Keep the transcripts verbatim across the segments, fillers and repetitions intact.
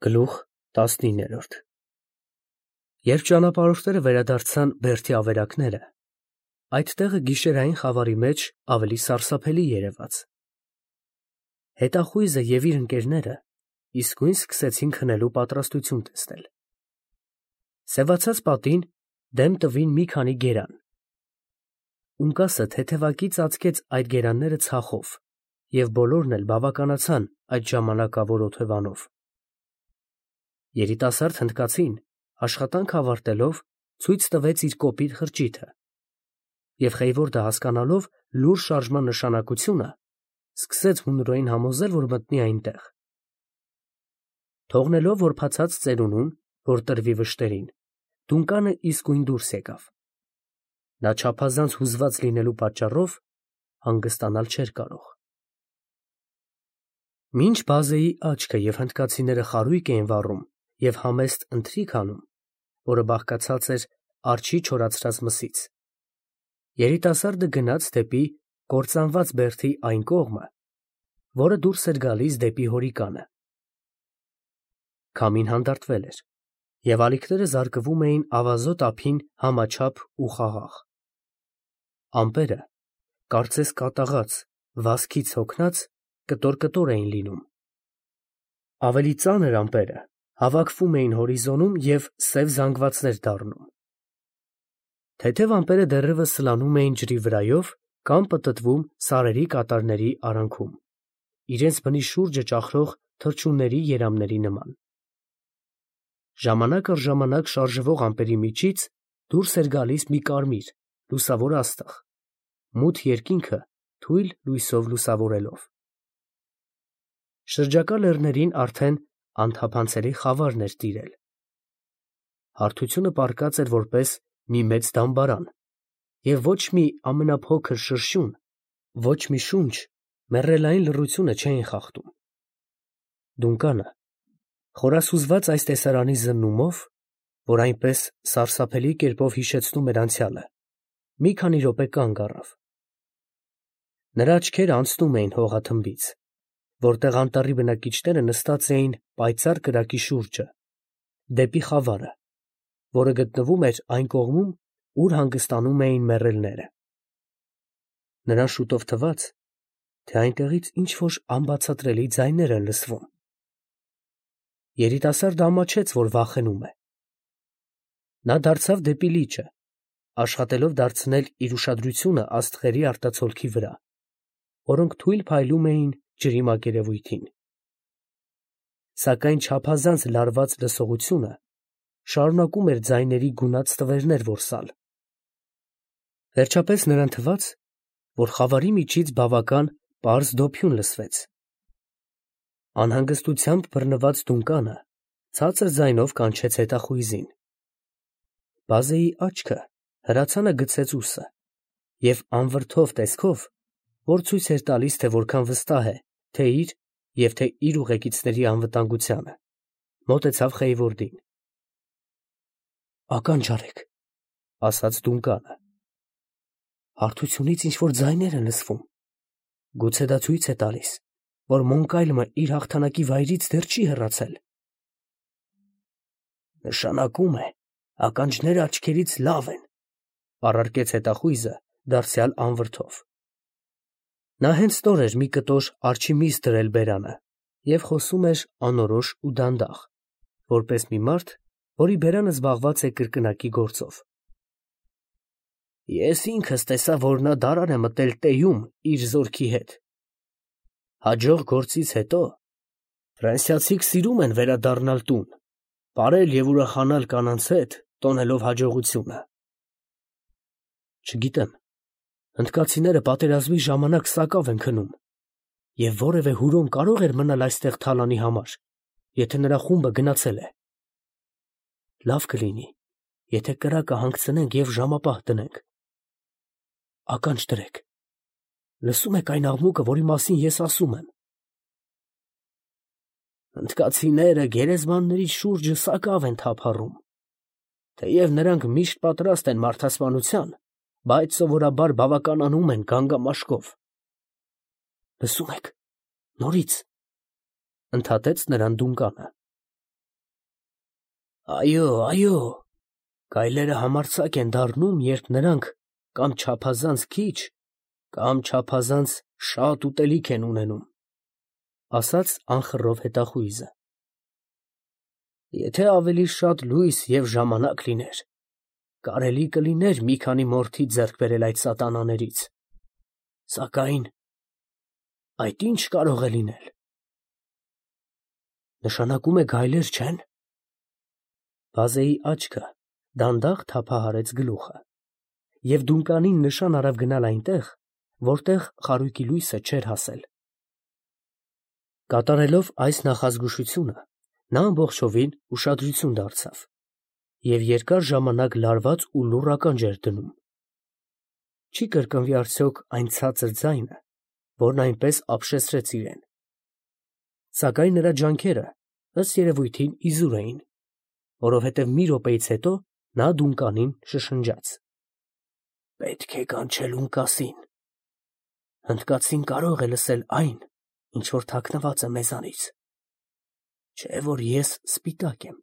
Գլուխ տասնիններորդ Երբ ճանապարհորդները վերադարձան Բերդի ավերակները, այդ տեղը գիշերային խավարի մեջ ավելի սարսափելի երևաց։ Հետախույզը և իր ընկերները իսկույն սկսեցին քնելու պատրաստություն տեսնել։ Սևացած պատին դեմ տվին մի քանի գերան։ Ունկասը թեթևակի ծածկեց այդ գերանները ցախով, և բոլորն էլ բավականացան այդ ժամանակավոր օթևանով։ Երիտասարդ հնդկացին, աշխատանք ավարտելով, ցույց տվեց իր կոպիտ խրճիթը, և Խեյվորդը հասկանալով լուր շարժման նշանակությունը, սկսեց հունորեն համոզել, որ մտնի այնտեղ։ Թողնելով որբացած ծերունուն, որ տրվի վշտերին, Դունկանը իսկույն դուրս եկավ։ Նա չափազանց հուզված լինելու պատճառով հանգստանալ չէր կարող։ Մինչ բազեի աչքը և հնդկացիները խարույկ էին վառում և համեստ ընթրիք անում, որը բաղկացած էր արջի չորացրած մսից, երիտասարդը գնաց դեպի կործանված բերդի այն կողմը, որը դուրս էր գալիս դեպի հորիկանը։ Քամին հանդարտվել էր, և ալիքները զարկվում էին ավազոտ ափին համաչափ ու խաղաղ։ Ամպերը, կարծես կատաղած, վազքից հոգնած, կտոր֊կտոր էին լինում։ Ավելի ծանր ամպերը հավաքվում էին հորիզոնում և սև զանգվածներ դառնում։ Թեթև ամպերը դեռևս սլանում էին ջրի վրայով կամ պտտվում սարերի կատարների արանքում, իրենց բնի շուրջը ճախրող թռչունների երամների նման։ Ժամանակ առ ժամանակ շարժվող ամպերի միջից դուրս էր գալիս մի կարմիր, լուսավոր աստղ, մութ երկինքը թույլ լույսով լուսավորելով։ Շրջակա լեռներին արդեն անթափանցելի խավարն էր տիրել։ Հարթությունը պառկած էր որպես մի մեծ դամբարան, և ոչ մի ամենափոքր շրշյուն, ոչ մի շունչ մեռելային լռությունը չէին խախտում։ Դունկանը, խորասուզված այս տեսարանի զննումով, որ այնպես սարսափելի կերպով հիշեցնում էր անցյալը, մի քանի րոպե կանգ առավ։ Նրա աչքերը անցնում էին հողաթմբից, որտեղ անտառի բնակիչները նստած էին պայծառ կրակի շուրջը, դեպի խավարը, որը գտնվում էր այն կողմում, ուր հանգստանում էին մեռելները։ Նրան շուտով թվաց, թե այնտեղից ինչ֊որ անբացատրելի ձայներ են լսվում։ Երիտասարդը ամաչեց, որ վախենում է։ Նա դարձավ դեպի լիճը, աշխատելով դարձնել իր ուշադրությունը աստղերի արտացոլքի վրա, որոնք թույլ փայլում էին ջրի մակերևույթին։ Սակայն չափազանց լարված լսողությունը շարունակում էր ձայների գունատ ստվերներ որսալ։ Վերջապես նրան թվաց, որ խավարի միջից բավական պարզ դոփյուն լսվեց։ Անհանգստությամբ բռնված Դունկանը ցածր ձայնով կանչեց հետախույզին։ Բազեի աչքը հրացանը գցեց ուսը և անվրդով տեսքով, որ ցույց էր տալիս, թե որքան վստահ է թե՛ իր և թե՛ իր ուղեկիցների անվտանգությանը, մոտեցավ Խեյվորդին։ «Ականջ արեք», ֊ ասաց Դունկանը։ «Հարթությունից ինչ֊որ ձայներ են լսվում։ Գուցե դա ցույց է տալիս, որ Մոնկայլմը իր հաղթանակի վայրից դեռ չի հեռացել»։ «Նշանակում է, ականջները աչքերից լավ են», ֊ պառարկեց հետախույզը դարձյալ անվրդով։ Նա հենց նոր էր մի կտոր արջի միս դրել բերանը և խոսում էր անորոշ ու դանդաղ, որպես մի մարդ, որի բերանը զբաղված է կրկնակի գործով։ «Ես ինքս տեսա, որ նա դարան է մտել Տեյում իր զորքի հետ։ Հաջող գործից հետո ֆրանսիացիք սիրում են վերադառնալ տուն, պարել և ուրախանալ կանանց հետ, տոնելով հաջողությունը։ Չգիտեմ, հնդկացիները պատերազմի ժամանակ սակավ են քնում, և որևէ հուրոն կարո՞ղ էր մնալ այստեղ թալանի համար, եթե նրա խումբը գնացել է։ Լավ կլինի, եթե կրակը հանգցնենք և ժամապահ դնենք։ Ականջ դրեք, լսո՞ւմ եք այն աղմուկը, որի մասին ես ասում եմ։ Հնդկացիները գերեզմանների շուրջը սակավ են թափառում. թեև նրանք միշտ պատրաստ են մարդասպանության, բայց սովորաբար բավականանում են գանգամաշկով։ Լսո՞ւմ եք, նորից, ֊ ընդհատեց նրան Դունկանը։ Այո, այո, գայլերը համարձակ են դառնում, երբ նրանք կամ չափազանց քիչ, կամ չափազանց շատ ուտելիք են ունենում, ասաց անխռով հետախույզը։ Եթե ավելի շատ լույս և ժամանակ լիներ, կարելի կլիներ մի քանի մորթի ձեռք բերել այդ սատանաներից, սակայն այդ ի՞նչ կարող է լինել։ Նշանակում է գայլեր չեն։ Բազեի աչքը դանդաղ թափահարեց գլուխը, և Դունկանին նշան արավ գնալ այնտեղ, որտեղ խարույկի լույսը չէր հասել։ Կատարելով այս նախազգուշությունը, նա ամբողջովին ուշադրություն դարձավ և երկար ժամանակ լարված ու լուռ ականջ էր դնում։ Չի կրկնվի արդյոք այն ցածր ձայնը, որն այնպես ապշեցրեց իրեն։ Սակայն նրա ջանքերը, ըստ երևույթին, իզուր էին, որովհետև մի րոպեից հետո նա Դունկանին շշնջաց. «Պետք է կանչել Ունկասին։ Հնդկացին կարող է լսել այն, ինչ որ թաքնված է մեզանից, չէ՞ որ ես սպիտակ եմ,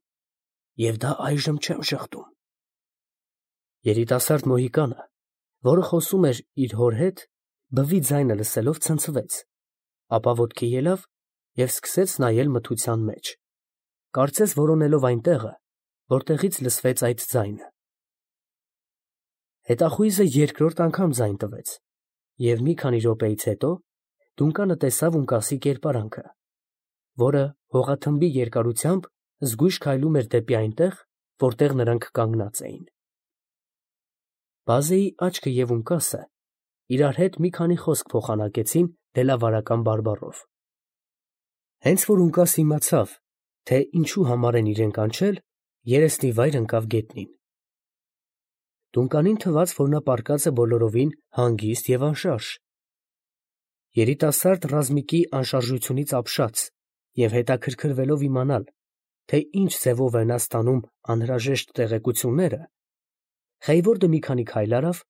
և դա այժմ չեմ ժխտում»։ Երիտասարդ մոհիկանը, որը խոսում էր իր հոր հետ, բվի ձայնը լսելով ցնցվեց, ապա ոտքի ելավ և սկսեց նայել մթության մեջ, կարծես որոնելով այն տեղը, որտեղից լսվեց այդ ձայնը։ Հետախույզը երկրորդ անգամ ձայն տվեց, և մի քանի րոպեից հետո Դունկանը տեսավ Ունկասի կերպարանքը, որը հողաթմբի երկարությամբ զգույշ քայլում էր դեպի այնտեղ, որտեղ նրանք կանգնած էին։ Բազեի աչքը և Ունկասը իրար հետ մի քանի խոսք փոխանակեցին դելավարական բարբառով։ Հենց որ Ունկասը իմացավ, թե ինչու համար են իրեն կանչել, երեսնի վայր ընկավ գետնին։ Դունկանին թվաց, որ նա պառկած է բոլորովին հանգիստ և անշարժ։ Երիտասարդ ռազմիկի անշարժությունից ապշած և հետաքրքրվելով իմանալ, թե ինչ ձևով է նա ստանում անհրաժեշտ տեղեկությունները, Խեյվորդը մի քանի քայլ արավ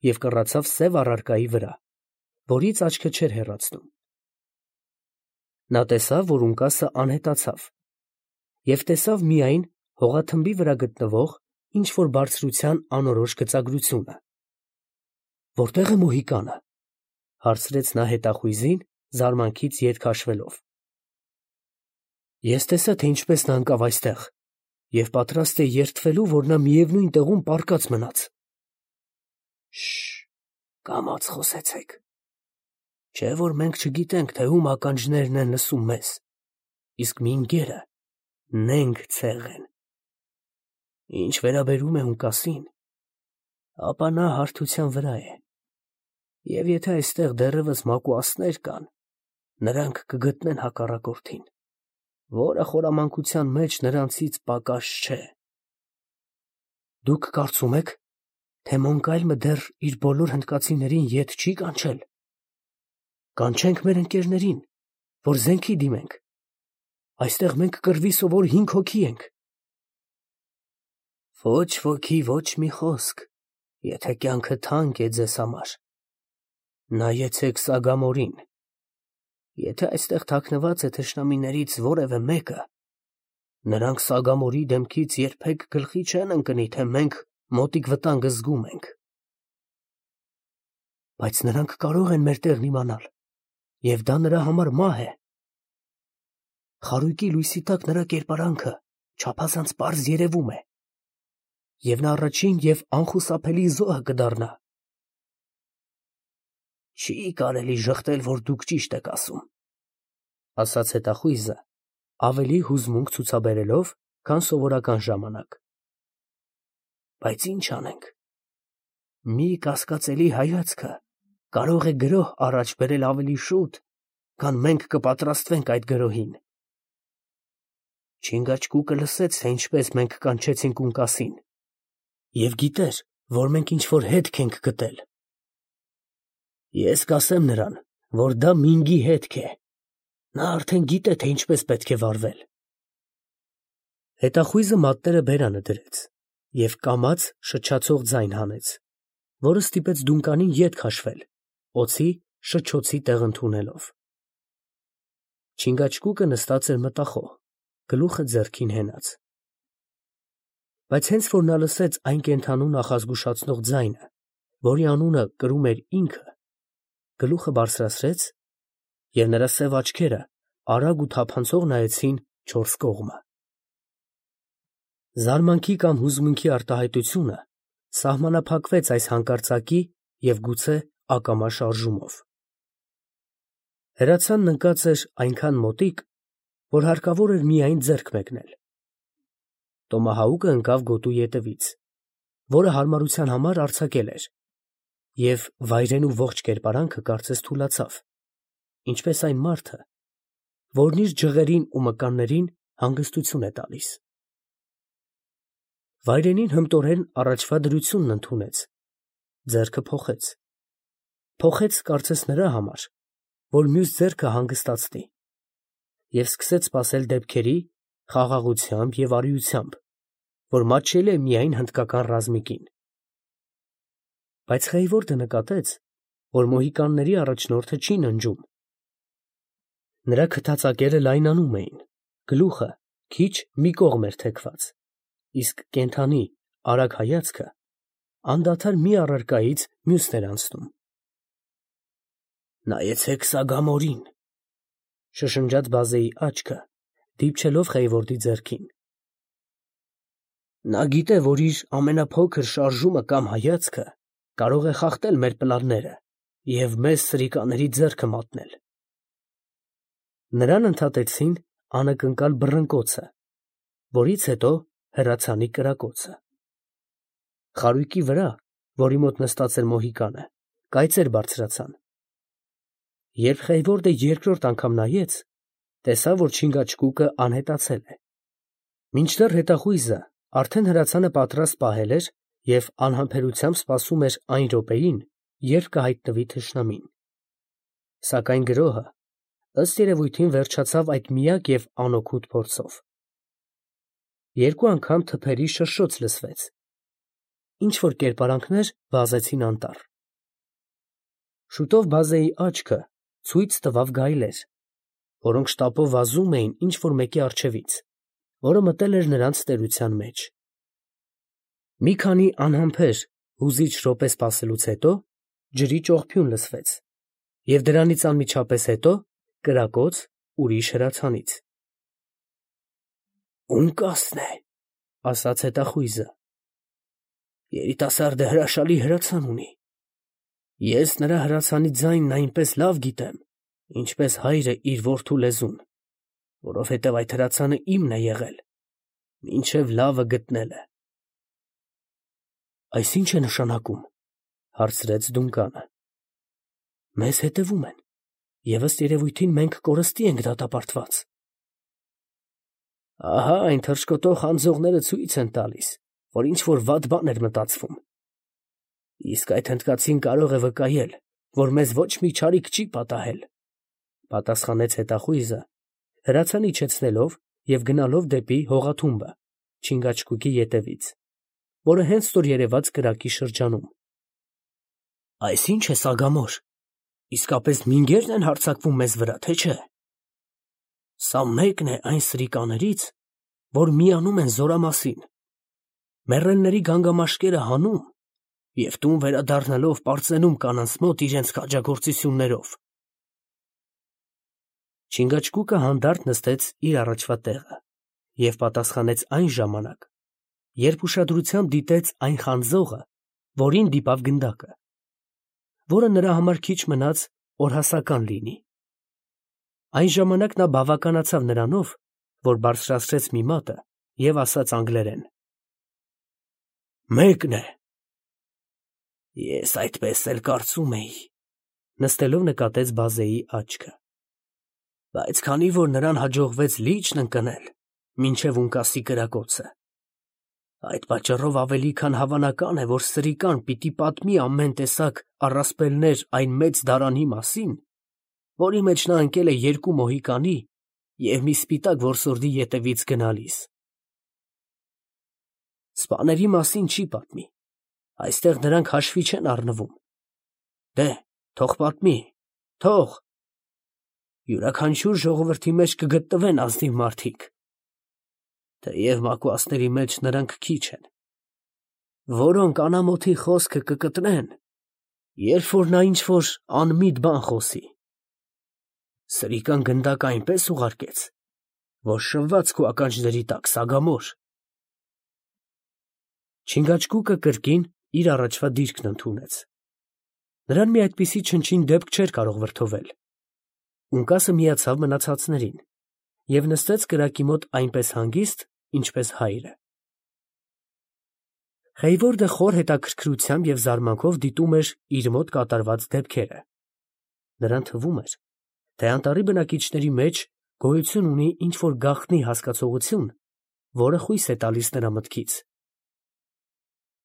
և կռացավ սև առարկայի վրա, որից աչքը չէր հեռացնում։ Նա տեսավ, որ Ունկասը անհետացավ, և տեսավ միայն հողաթմբի վրա գտնվող ինչ֊որ բարձրության անորոշ գծագրությունը։ ֊ Որտե՞ղ է մոհիկանը, ֊ հարցրեց նա հետախույզին, զարմանքից ետ քաշվելով։ ֊ Ես տեսա, թե ինչպես նա ընկավ այստեղ, և պատրաստ էի երդվելու, որ նա միևնույն տեղում պառկած մնաց։ ֊ Շ… կամաց խոսեցեք, չէ՞ որ մենք չգիտենք, թե ում ականջներն են լսում մեզ, իսկ մինգերը նենգ ցեղ են։ Ինչ վերաբերում է Ունկասին, ապա նա հարթության վրա է, և եթե այստեղ դեռևս մակուասներ կան, նրանք կգտնեն հակառակորդին, որը խորամանկության մեջ նրանցից պակաս չէ։ ֊ Դուք կարծում եք, թե Մոնկալմը դեռ իր բոլոր հնդկացիներին ետ չի կանչել։ Կանչենք մեր ընկերներին, որ զենքի դիմենք. այստեղ մենք կռվի սովոր հինգ հոգի ենք։ ֊ Ոչ ոքի ոչ մի խոսք, եթե կյանքը թանկ է ձեզ համար. նայեցեք սագամորին. եթե այստեղ թաքնված է թշնամիներից որևէ մեկը, նրանք սագամորի դեմքից երբեք գլխի չեն ընկնի, թե մենք մոտիկ վտանգը զգում ենք։ ֊ Բայց նրանք կարող են մեր տեղն իմանալ, և դա նրա համար մահ է։ Խարույկի լույսի տակ նրա կերպարանքը չափազանց պարզ երևում է, և նա առաջին և անխուսափելի զոհը կդառնա։ ֊ Չի կարելի ժխտել, որ դուք ճիշտ եք ասում, ֊ ասաց հետախույզը, ավելի հուզմունք ցուցաբերելով, քան սովորական ժամանակ։ ֊ Բայց ի՞նչ անենք. մի կասկածելի հայացքը կարող է գրոհ առաջ բերել ավելի շուտ, քան մենք կպատրաստվենք այդ գրոհին։ Չինգաչգուկը լսեց, թե ինչպես մենք կանչեցինք Ունկասին, և գիտեր, որ մենք ինչ֊որ հետք ենք գտել։ Ես կասեմ նրան, որ դա Մինգի հետք է. նա արդեն գիտե, թե ինչպես պետք է վարվել։ Հետախույզը մատները բերանը դրեց և կամաց շչացող ձայն հանեց, որը ստիպեց Դունկանին ետ քաշվել, օձի շչոցի տեղ ընդունելով։ Չինգաչգուկը նստած էր մտախոհ, գլուխը ձեռքին հենած։ Բայց հենց որ նա լսեց այն կենդանու նախազգուշացնող ձայնը, որի անունը կրում էր ինքը, գլուխը բարձրացրեց, և նրա սև աչքերը արագ ու թափանցող նայեցին չորս կողմը։ Զարմանքի կամ հուզմունքի արտահայտությունը սահմանափակվեց այս հանկարծակի և գուցե ակամա շարժումով։ Հրացանն ընկած էր այնքան մոտիկ, որ հարկավոր էր միայն ձեռք մեկնել։ Տոմահաուկը ընկավ գոտու ետևից, որը հարմարության համար արձակել էր, և վայրենու ողջ կերպարանքը կարծես թուլացավ, ինչպես այն մարդը, որն իր ջղերին ու մկաններին հանգստություն է տալիս։ Վայրենին հմտորեն առաջվա դրությունն ընդունեց, ձեռքը փոխեց, փոխեց կարծես նրա համար, որ մյուս ձեռքը հանգստացնի, և սկսեց սպասել դեպքերի, խաղաղությամբ և արիությամբ, որ մատչելի է միայն հնդկական ռազմիկին։ Բայց Խեյվորդը նկատեց, որ մոհիկանների առաջնորդը չի ննջում։ Նրա քթածակերը լայնանում էին, գլուխը քիչ մի կողմ էր թեքված, իսկ կենդանի արագ հայացքը անդադար մի առարկայից մյուսն էր անցնում։ «Նայեցեք Սագամորին», շշնջաց բազեի աչքը, դիպչելով Խեյվորդի ձեռքին։ «Նա գիտե, որ իր ամենափոքր շարժումը կամ հայացքը կարող է խախտել մեր պլանները և մեզ սրիկաների ձեռքը մատնել»։ Նրան ընդհատեցին անակնկալ բռնկոցը, որից հետո հրացանի կրակոցը։ Խարույկի վրա, որի մոտ նստած էր մոհիկանը, կայծեր բարձրացան։ Երբ Խեյվորդը երկրորդ անգամ նայեց, տեսավ, որ չինգաչգուկը անհետացել է։ Մինչդեռ հետախույզը արդեն հրացանը պատրաստ պահել էր և անհամբերությամբ սպասում էր այն րոպեին, երբ կհայտնվի թշնամին։ Սակայն գրոհը, ըստ երևույթին, վերջացավ այդ միակ և անօգուտ փորձով։ Երկու անգամ թփերի շրշոց լսվեց, ինչ֊որ կերպարանքներ վազեցին անտառ։ Շուտով բազեի աչքը ցույց տվավ գայլեր, որոնք շտապով վազում էին ինչ֊որ մեկի առջևից, որը մտել էր նրանց տերության մեջ։ Մի քանի անհամբեր, հուզիչ րոպե սպասելուց հետո ջրի ճողփյուն լսվեց, և դրանից անմիջապես հետո կրակոց ուրիշ հրացանից։ «Ունկասն է», ֊ ասաց հետախույզը։ «Երիտասարդը հրաշալի հրացան ունի։ Ես նրա հրացանի ձայնն այնպես լավ գիտեմ, ինչպես հայրը իր որդու լեզուն, որովհետև այդ հրացանը իմն է եղել, մինչև լավը գտնելը»։ «Այս ի՞նչ է նշանակում», ֊ հարցրեց Դունկանը։ «Մեզ հետևում են, և ըստ երևույթին մենք կորստի ենք դատապարտված»։ «Ահա այն թռչկոտող խանձողները ցույց են տալիս, որ ինչ֊որ վատ բան էր մտածվում։ Իսկ այդ հնդկացին կարող է վկայել, որ մեզ ոչ մի չարիք չի պատահել», ֊ պատասխանեց հետախույզը, հրացան իջեցնելով և գնալով դեպի հողաթումբը չինգաչգուկի ետևից, որը հենց նոր երևաց կրակի շրջանում։ «Այս ի՞նչ է, Սագամոր, իսկապես մինգե՞րն են հարձակվում մեզ վրա, թե չէ։ Սա մեկն է այն սրիկաներից, որ միանում են զորամասին, մեռելների գանգամաշկերը հանում և տուն վերադառնալով պարծենում կանանց մոտ իրենց քաջագործություններով»։ Չինգաչգուկը հանդարտ նստեց իր առաջվա տեղը և պատասխանեց այն ժամանակ, երբ ուշադրությամբ դիտեց այն խանձողը, որին դիպավ գնդակը, որը նրա համար քիչ մնաց օրհասական լինի։ Այն ժամանակ նա բավականացավ նրանով, որ բարձրացրեց մի մատը և ասաց անգլերեն. «Մեկն է»։ «Ես այդպես էլ կարծում էի», ֊ նստելով նկատեց բազեի աչքը։ «Բայց քանի որ նրան հաջողվեց լիճն ընկնել մինչև ունկասի կրակոցը, այդ պատճառով ավելի քան հավանական է, որ սրիկան պիտի պատմի ամեն տեսակ առասպելներ այն մեծ դարանի մասին, որի մեջ նա ընկել է երկու մոհիկանի և մի սպիտակ որսորդի ետևից գնալիս։ Սպաների մասին չի պատմի, այստեղ նրանք հաշվի չեն առնվում։ Դե՛հ, թող պատմի, թող… Յուրաքանչյուր ժողովրդի մեջ կգտնվեն ազնիվ մարդիկ, թեև մակուասների մեջ նրանք քիչ են, որոնք անամոթի խոսքը կկտրեն, երբ որ նա ինչ-որ անմիտ բան խոսի։ Սրիկան գնդակը այնպես ուղարկեց, որ շվված քո ականջների տակ սագամոր։ Չինգաչգուկը կրկին իր առաջվա դիրքն ընդունեց։ Նրան մի այդպիսի չնչին դեպք չէր կարող վրդովել։ Ունկասը միացավ մնացածներին և նստեց կրակի մոտ այնպես հանգիստ, ինչպես հայրը։ Խեյվորդը խոր հետաքրքրությամբ և զարմանքով դիտում էր իր մոտ կատարված դեպքերը։ Նրան թվում էր, թե անտառի բնակիչների մեջ գոյություն ունի ինչ-որ գաղտնի հասկացողություն, որը խույս է տալիս նրա մտքից։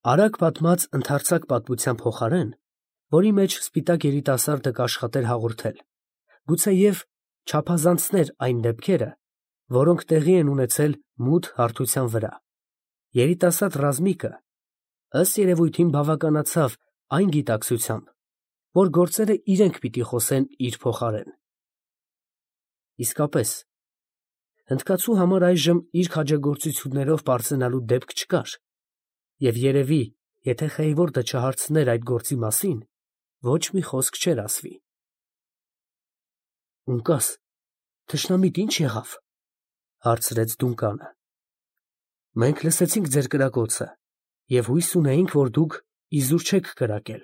Արագ պատմած ընդարձակ պատմության փոխարեն, որի մեջ սպիտակ երիտասարդը կաշխատեր հաղորդել, գուցեև չափազանցներ այն դեպքերը, որոնք տեղի են ունեցել մութ հարթության վրա, երիտասարդ Ռազմիկը ըստ երևույթին բավականացավ այն գիտակցությամբ, որ գործերը իրենք պիտի խոսեն իր փոխարեն։ Իսկապես, հնդկացու համար այժմ իր քաջագործություններով պարծենալու դեպք չկար, և երևի, եթե Խեյվորդը չհարցներ այդ գործի մասին, ոչ մի խոսք չէր ասվի։ Ունկաս, թշնամիտ ի՞նչ եղավ, ֊ հարցրեց Դունկանը։ Մենք լսեցինք ձեր կրակոցը և հույս ունեինք, որ դուք իզուր չեք կրակել։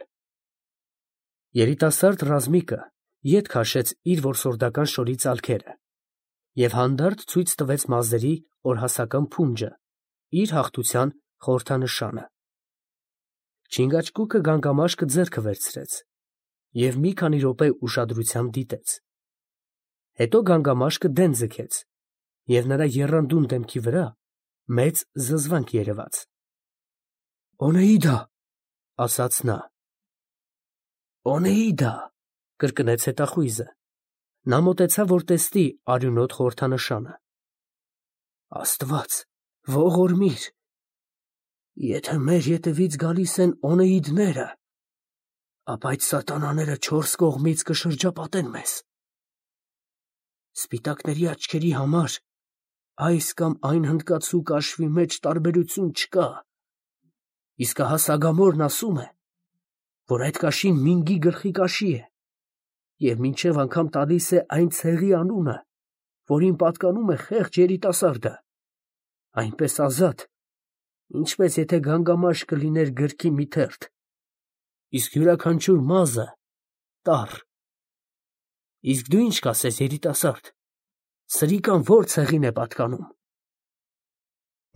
Երիտասարդ Ռազմիկը ետ քաշեց իր որսորդական շորի ծալքերը և հանդարտ ցույց տվեց մազերի օրհասական փունջը, իր հաղթության խորհրդանշանը։ Չինգաչգուկը գանգամաշկը ձեռքը վերցրեց և մի քանի րոպե ուշադրությամբ դիտեց։ Հետո գանգամաշկը դեն ձգեց, և նրա եռանդուն դեմքի վրա մեծ զզվանք երևաց։ «Օնեիդա», ֊ ասաց նա։ «Օնեիդա», ֊ կրկնեց հետախույզը։ Նա մոտեցավ, որ տեսնի արյունոտ խորհրդանշանը։ Աստված, ողորմիր, եթե մեր ետևից գալիս են օնեիդները, ապա այդ սատանաները չորս կողմից կշրջապատեն մեզ։ Սպիտակների աչքերի համար այս կամ այն հնդկացու կաշվի մեջ տարբերություն չկա, իսկ ահա Սագամորն ասում է, որ այդ կաշին Մինգի գլխի կաշի է, և մինչև անգամ տալիս է այն ցեղի անունը, որին պատկանում է խեղճ երիտասարդը, այնպես ազատ, ինչպես եթե գանգամաշկը լիներ գրքի մի թերթ, իսկ յուրաքանչյուր մազը տառ։ Իսկ դու ինչ կասես, երիտասարդ, սրիկան ո՞ր ցեղին է պատկանում։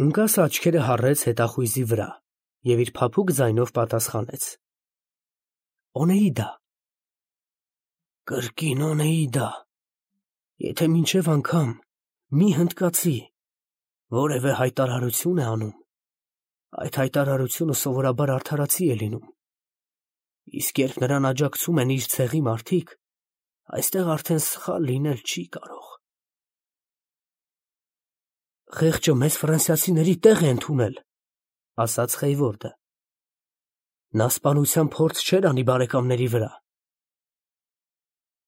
Ունկասը աչքերը հառեց հետախույզի վրա և իր փափուկ ձայնով պատասխանեց. Օնեիդա։ Կրկին Օնեիդա, եթե մինչև անգամ մի հնդկացի որևէ հայտարարություն է անում, այդ հայտարարությունը սովորաբար արդարացի է լինում, իսկ երբ նրան աջակցում են իր ցեղի մարդիկ, այստեղ արդեն սխալ լինել չի կարող։ Խեղճը մեզ ֆրանսիացիների տեղ է ընդունել, ֊ ասաց Խեյվորդը։ Նա սպանության փորձ չէր անի բարեկամների վրա։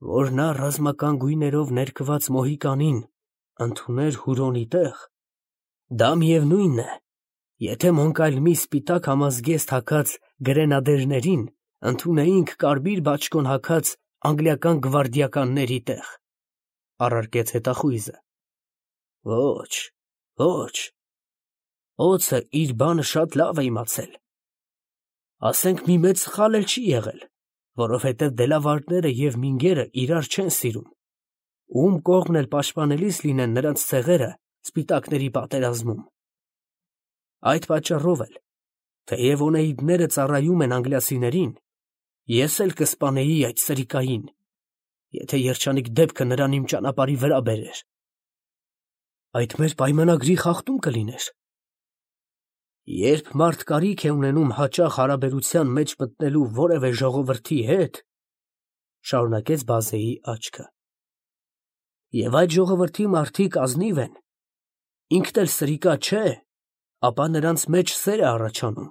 Որ նա ռազմական գույներով ներկված Մոհիկանին ընդուներ Հուրոնի տեղ, դա միևնույնն է, եթե Մոնկալմի սպիտակ համազգեստ հագած գրենադերներին ընդունեինք կարմիր բաճկոն հագած անգլիական գվարդիականների տեղ, ֊ առարկեց հետախույզը։ Ոչ, ոչ, օձը իր բանը շատ լավ է իմացել։ Ասենք մի մեծ սխալ էլ չի եղել, որովհետև դելավարները և մինգերը իրար չեն սիրում, ում կողմն էլ պաշտպանելիս լինեն նրանց ցեղերը սպիտակների պատերազմում։ Այդ պատճառով էլ, թեև օնեիդները ծառայում են անգլիացիներին, ես էլ կսպանեի այդ սրիկային, եթե երջանիկ դեպքը նրան իմ ճանապարհի վրա բերեր։ Այդ մեր պայմանագրի խախտում կլիներ։ Երբ մարդ կարիք է ունենում հաճախ հարաբերության մեջ մտնելու որևէ ժողովրդի հետ, ֊ շարունակեց բազեի աչքը, և այդ ժողովրդի մարդիկ ազնիվ են, ինքն էլ սրիկա չէ, ապա նրանց մեջ սեր է առաջանում,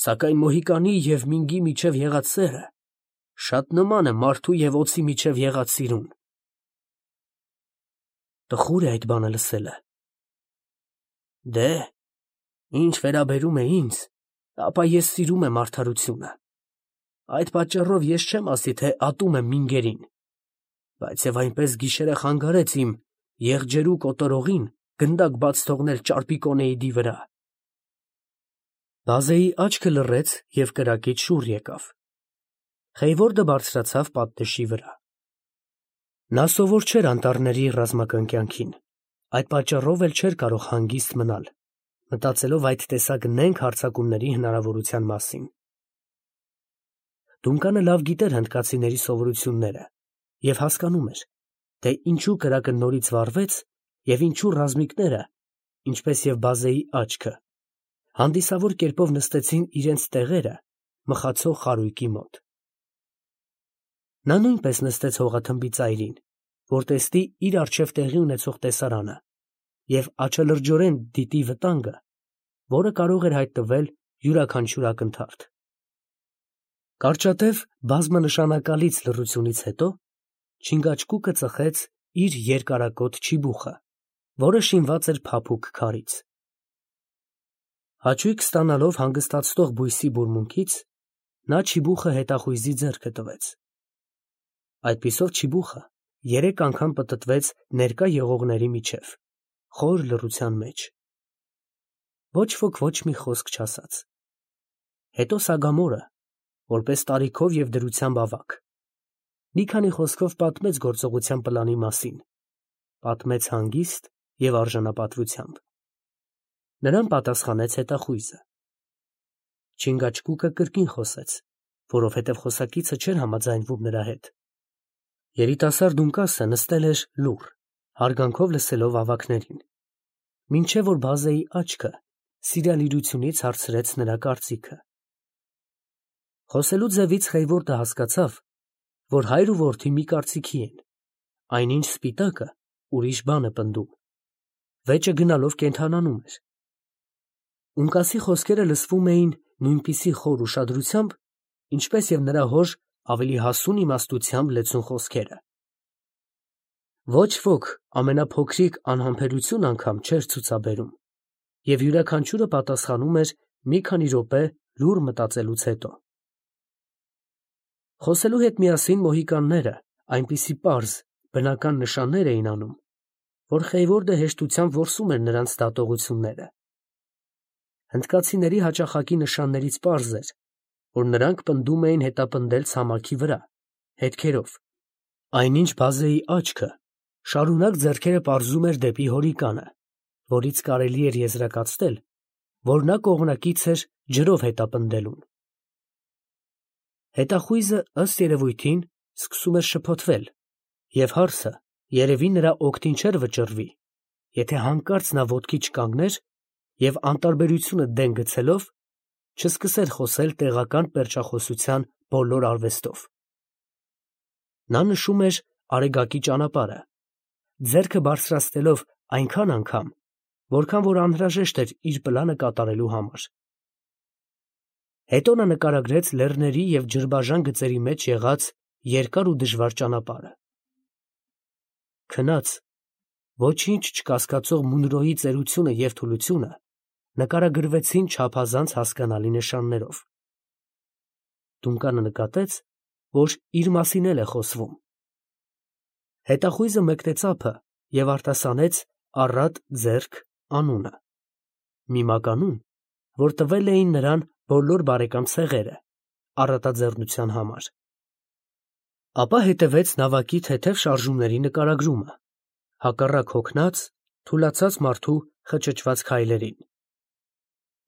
սակայն Մոհիկանի և Մինգի միջև եղած սերը շատ նման է մարդու և օձի միջև եղած սիրուն։ Տխուր է այդ բանը լսելը։ Դե, ինչ վերաբերում է ինձ, ապա ես սիրում եմ արդարությունը. այդ պատճառով ես չեմ ասի, թե ատում եմ մինգերին, բայց և այնպես գիշերը խանգարեց իմ եղջերու կոտորողին գնդակ բաց թողնել ճարպիկոնեիդի վրա։ Բազեի աչքը լռեց և կրակից շուռ եկավ։ Խեյվորդը բարձրացավ պատնեշի վրա։ Նա սովոր չէր անտառների ռազմականկյանքին, այդ պատճառով էլ չէր կարող հանգիստ մնալ, մտածելով այդ տեսակ նենգ հարձակումների հնարավորության մասին։ Դունկանը լավ գիտեր հնդկացիների սովորությունները և հասկանում էր, թե ինչու կրակը նորից վառվեց և ինչու ռազմիկները, ինչպես և Բազեի աչքը, հանդիսավոր կերպով նստեցին իրենց տեղերը մխացող խարույկի մոտ։ Նա նույնպես նստեց հողաթմբի ծայրին, որ տեսնի իր առջև տեղի ունեցող տեսարանը և աչալրջորեն դիտի վտանգը, որը կարող էր հայտնվել յուրաքանչյուր ակնթարթ։ Կարճատև բազմանշանակալից լռությունից հետո Չինգաչգուկը ծխեց իր երկարակոթ չիբուխը, որը շինված էր փափուկ քարից։ Հաճույք ստանալով հանգստացնող բույսի բուրմունքից, նա չիբուխը հետախույզի ձեռքը տվեց։ Այդպիսով չիբուխը երեք անգամ պտտվեց ներկա եղողների միջև, խոր լռության մեջ։ Ոչ ոք ոչ մի խոսք չասաց։ Հետո Սագամորը, որպես տարիքով և դրությամբ ավագ, մի քանի խոսքով պատմեց գործողության պլանի մասին, պատմեց հանգիստ և արժանապատվությամբ։ Նրան պատասխանեց հետախույզը։ Չինգաչգուկը կրկին խոսեց, որովհետև խոսակիցը չէր համաձայնվում նրա հետ։ Երիտասարդ ունկասը նստել էր լուռ, հարգանքով լսելով ավագներին, մինչև որ Բազեի աչքը սիրալիրությունից հարցրեց նրա կարծիքը։ Խոսելու ձևից Խեյվորդը հասկացավ, որ հայր ու որդի մի կարծիքի են, այնինչ սպիտակը ուրիշ բան է պնդում։ Վեճը գնալով կենդանանում էր։ Ունկասի խոսքերը լսվում էին նույնպիսի խոր ուշադրությամբ, ինչպես և նրա հոր ավելի հասուն իմաստությամբ լեցուն խոսքերը։ Ոչ ոք ամենափոքրիկ անհամբերություն անգամ չէր ցուցաբերում, և յուրաքանչյուրը պատասխանում էր մի քանի րոպե լուռ մտածելուց հետո։ Խոսելու հետ միասին մոհիկանները այնպիսի պարզ, բնական նշաններ էին անում, որ Խեյվորդը հեշտությամբ որսում էր նրանց դատողությունները։ Հնդկացիների հաճախակի նշաններից պարզ էր, որ նրանք պնդում էին հետապնդել ցամաքի վրա, հետքերով, այնինչ Բազեի աչքը շարունակ ձեռքերը պարզում էր դեպի հորիկանը, որից կարելի էր եզրակացնել, որ նա կողմնակից էր ջրով հետապնդելուն։ Հետախույզը, ըստ երևույթին, սկսում էր շփոթվել, և հարցը երևի նրա օգտին չէր վճռվի, եթե հանկարծ նա ոտքի չկանգներ և անտարբերությունը դեն գցելով, չսկսեր խոսել տեղական պերճախոսության բոլոր արվեստով։ Նա նշում էր Արեգակի ճանապարհը, ձեռքը բարձրացնելով այնքան անգամ, որքան որ անհրաժեշտ էր իր պլանը կատարելու համար։ Հետո նա նկարագրեց լեռների և ջրբաժան գծերի մեջ եղած երկար ու դժվար ճանապարհը։ Քնած, ոչինչ չկասկածող Մունրոյի ծերությունը և թուլությունը նկարագրվեցին չափազանց հասկանալի նշաններով։ Դունկանը նկատեց, որ իր մասին էլ է խոսվում։ Հետախույզը մեկնեց ափը և արտասանեց առատ ձեռք անունը, մի մականուն, որ տվել էին նրան բոլոր բարեկամ ցեղերը առատաձեռնության համար։ Ապա հետևեց նավակի թեթև շարժումների նկարագրումը, հակառակ հոգնած, թուլացած մարդու խճճված քայլերին։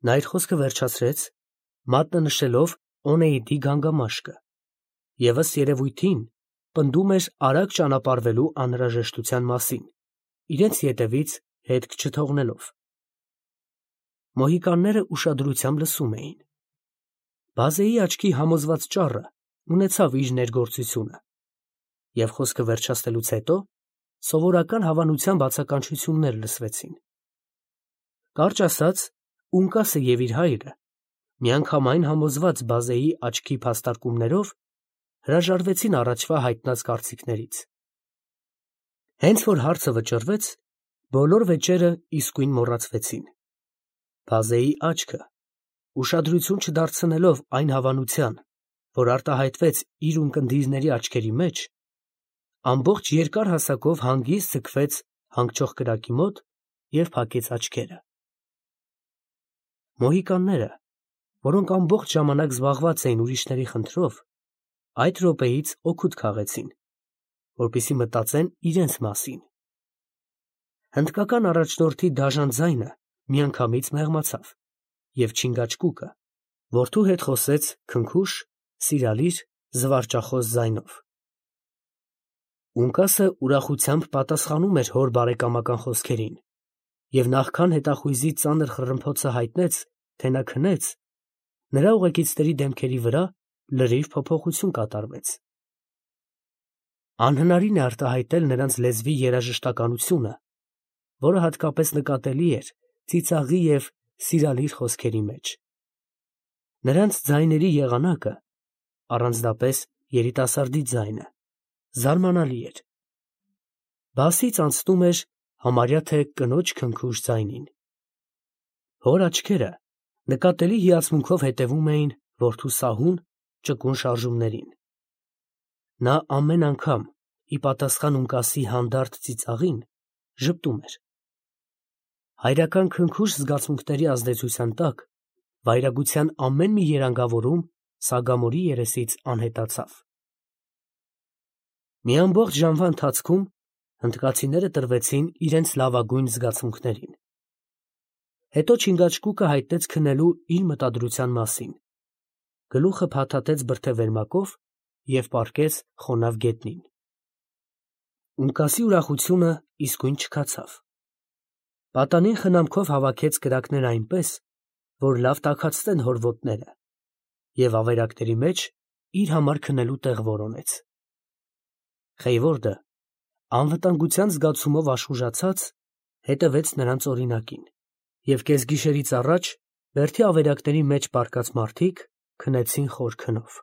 Նա իր խոսքը վերջացրեց, մատնանշելով Օնեիդի գանգամաշկը, և ըստ երևույթին պնդում էր արագ ճանապարհվելու անհրաժեշտության մասին, իրենց ետևից հետք չթողնելով։ Մոհիկանները ուշադրությամբ լսում էին։ Բազեի աչքի համոզված ճառը ունեցավ իր ներգործությունը, և խոսքը վերջացնելուց հետո սովորական հավանության բացականչություններ լսվեցին։ Կարճ ասած, ունկասը և իր հայրը, միանգամայն համոզված Բազեի աչքի փաստարկումներով, հրաժարվեցին առաջվա հայտնած կարծիքներից։ Հենց որ հարցը վճռվեց, բոլոր վեճերը իսկույն մոռացվեցին։ Բազեի աչքը, ուշադրություն չդարձնելով այն հավանության, որ արտահայտվեց իր ունկնդիրների աչքերի մեջ, ամբողջ երկար հասակով հանգիստ ձգվեց հանգչող կրակի մոտ և փակեց աչքերը։ Մոհիկանները, որոնք ամբողջ ժամանակ զբաղված էին ուրիշների խնդրով, այդ րոպեից օգուտ քաղեցին, որպեսզի մտածեն իրենց մասին։ Հնդկական առաջնորդի դաժան ձայնը միանգամից մեղմացավ, և Չինգաչկուկը որդու հետ խոսեց քնքուշ, սիրալիր, զվարճախոս ձայնով։ Ունկասը ուրախությամբ պատասխանում էր հոր բարեկամական խոսքերին, և նախքան հետախույզի ծանր խռմփոցը հայտնեց, թե նա քնեց, նրա ուղեկիցների դեմքերի վրա լրիվ փոփոխություն կատարվեց։ Անհնարին է արտահայտել նրանց լեզվի երաժշտականությունը, որը հատկապես նկատելի էր ծիծաղի և սիրալիր խոսքերի մեջ։ Նրանց ձայների եղանակը, առանձնապես երիտասարդի ձայնը, զարմանալի էր։ Բասից անցնում էր համարյա թե կնոջ քնքուշ ձայնին։ Հոր աչքերը նկատելի հիացմունքով հետևում էին որդու սահուն, ճկուն շարժումներին։ Նա ամեն անգամ, ի պատասխան ունկասի հանդարտ ծիծաղին, ժպտում էր։ Հայրական քնքուշ զգացմունքների ազդեցության տակ վայրագության ամեն մի երանգավորում Սագամորի երեսից անհետացավ։ Մի ամբողջ ժամվա ընթացքում հնդկացիները տրվեցին իրենց լավագույն զգացմունքներին։ Հետո Չինգաչկուկը հայտնեց քնելու իր մտադրության մասին, գլուխը փաթաթեց բրդե-վերմակով և պառկեց խոնավ գետնին։ Ունկասի ուրախությունը իսկույն չքացավ։ Պատանին խնամքով հավաքեց կրակները այնպես, որ լավ տաքացնեն հոր ոտները, և ավերակների մեջ իր համար քնելու տեղ որոնեց։ Խեյվորդը, անվտանգության զգացումով աշխուժացած, հետևեց նրանց օրինակին, և կեսգիշերից առաջ բերդի ավերակների մեջ պառկած մարդիկ քնեցին խոր քնով։